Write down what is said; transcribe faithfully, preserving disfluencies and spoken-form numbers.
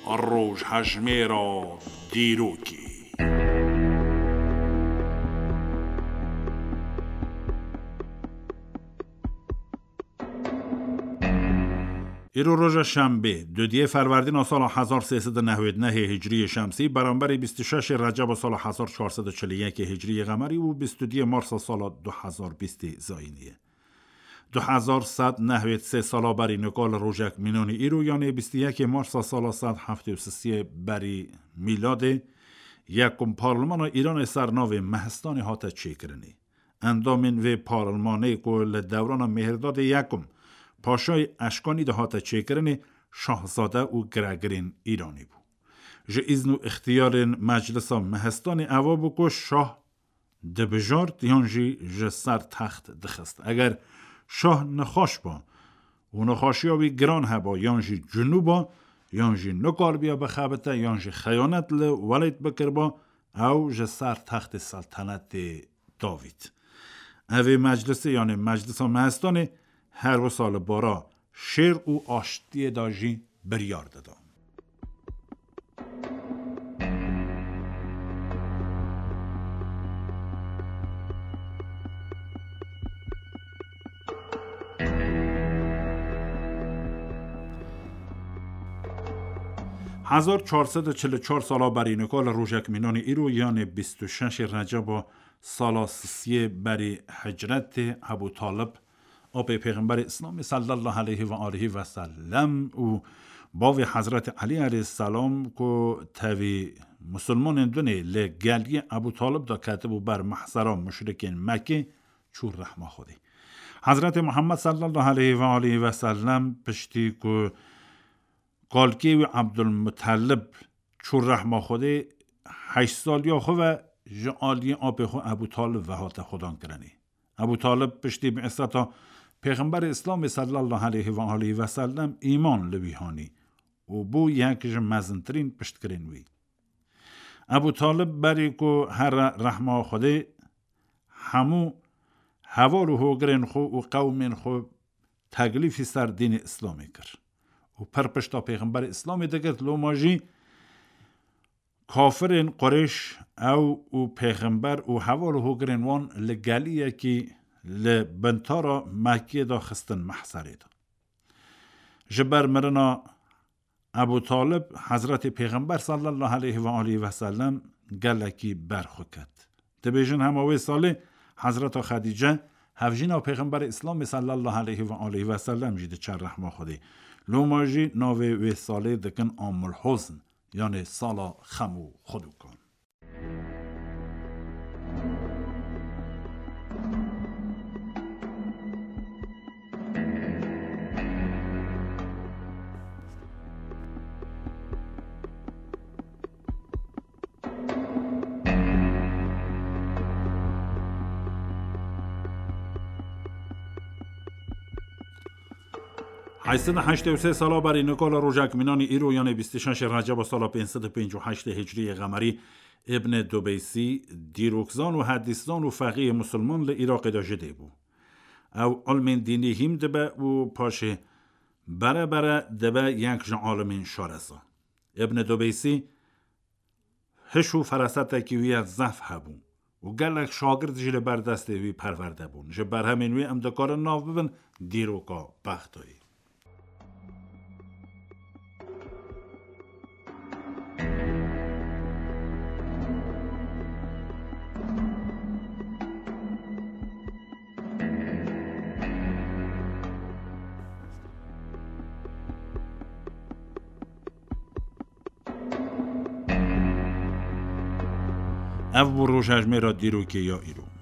Rojhejmêra dîrokê. Îro roja şembê, dudiyê ferwerdîna sala hezar sê sed û newêd nehê hicriyê şemsî, beramberî bîst û şeşê receba sala hezar çar sed û çil û yekê hicriyê qemerî û bîst û duyê marsa sala du hezar bîstê zayînî ye. Du hezar sed nehwêd sê sala berî nika li rojek mînanî îro, yanê bîst û yekê marsa sala sed heftê û sisiyê berî mîladê, yekum parlimana Îranê ser navê Mehistanê hate çêkirinê. Endamên vê parlimanê ku li dewrana Mêhirdadê yekum paşayê Eşkanî de hate çêkirinê, şahzade û giregirên Îranê bû. Ji îzn û îxtiyarên Meclisa Mehistanê eva bû ku şah dibijart yan jî ji ser text dixist. Eger şah nexweş ba û nexweşiya wî giran heba yan jî cunû ba, yan jî nikaribiya bixebite, yan jî xeyanet li welêt bikiriba, ew ji ser textê seltenetê davît. Evê meclisê, yanê Meclisa Mehistanê, her wisa li bara şêr û aştiyê de jî biryar dida. Hezar çar sed û çil û çar sala berî nika li rojek mînanî îro, yanê bîst û şeşê receba sala sisiyê berî hicretê, Ebû Talib, apê Pêxemberê Îslamê sallallahu aleyhi ve aleyhi ve sellem û bavê Hezretê Elî aleyhisselam ku tevî musulmanên dunê li geliyê Ebû Talib de ketibû ber mehsera muşrikên Mekkê, çû rehma Xwedê. Hezretê Muhammed sallallahu aleyhi ve aleyhi ve sellem piştî ku kalkê wî Ebdulmutalib çû rehma Xwedê, heşt saliya xwe ve ji aliyê apê xwe Ebû Talib ve hate xwedan kirinê. Ebû Talib piştî bi'seta Pêxemberê Îslamê sallallahu aleyhi ve aleyhi ve sellem îman li wî hanî û bû yek ji mezintirîn piştgirên wî. Ebû Talib berî ku here rehma Xwedê, hemû heval û hogirên xwe û qewmên xwe teklîfî ser dînê Îslamê kir û pir pişta Pêxemberê Îslamê digirt, loma jî kafirên Qurêş ew û Pêxember û heval û hogirên wan li geliyekî li bintara Mekkê de xistin mehserê de. Ji ber mirina Ebû Talib, Hezretê Pêxember sallallahu aleyhi ve aleyhi ve sellem gelekî berxwe ket. Dibêjin hema wê salê Hezreta Xedîce, hevjîna Pêxemberê Îslamê sallallahu aleyhi ve aleyhi ve sellem jî diçe rehma Xwedê. Loma jî navê wê salê dikin Amul Huzn, yanê sala xem û xwedûkan. Heyşt sed û heştê û sê sala berî nika li rojek mînanî îro, yanê bîst û şeşê Receba sala pênc sed û pêncî û heştê Hicriyê Qemerî, Îbn Dubeysî, dîrokzan û hedîszan û feqîhê musulman li Iraqê de ji dê bû. Ew ilmên dînî hîm dibe û paşê bere bere dibe yek ji alimên şareza. Îbn Dubeysî hiş û ferasetekî wî ya zehf hebû û gelek şagirt jî li ber destê wî perwerde bûn. Ji berhemên wî em dikarin nav bibin dîroka Bexdayê. Ev bû rojhejmêra dîrokê ya îro.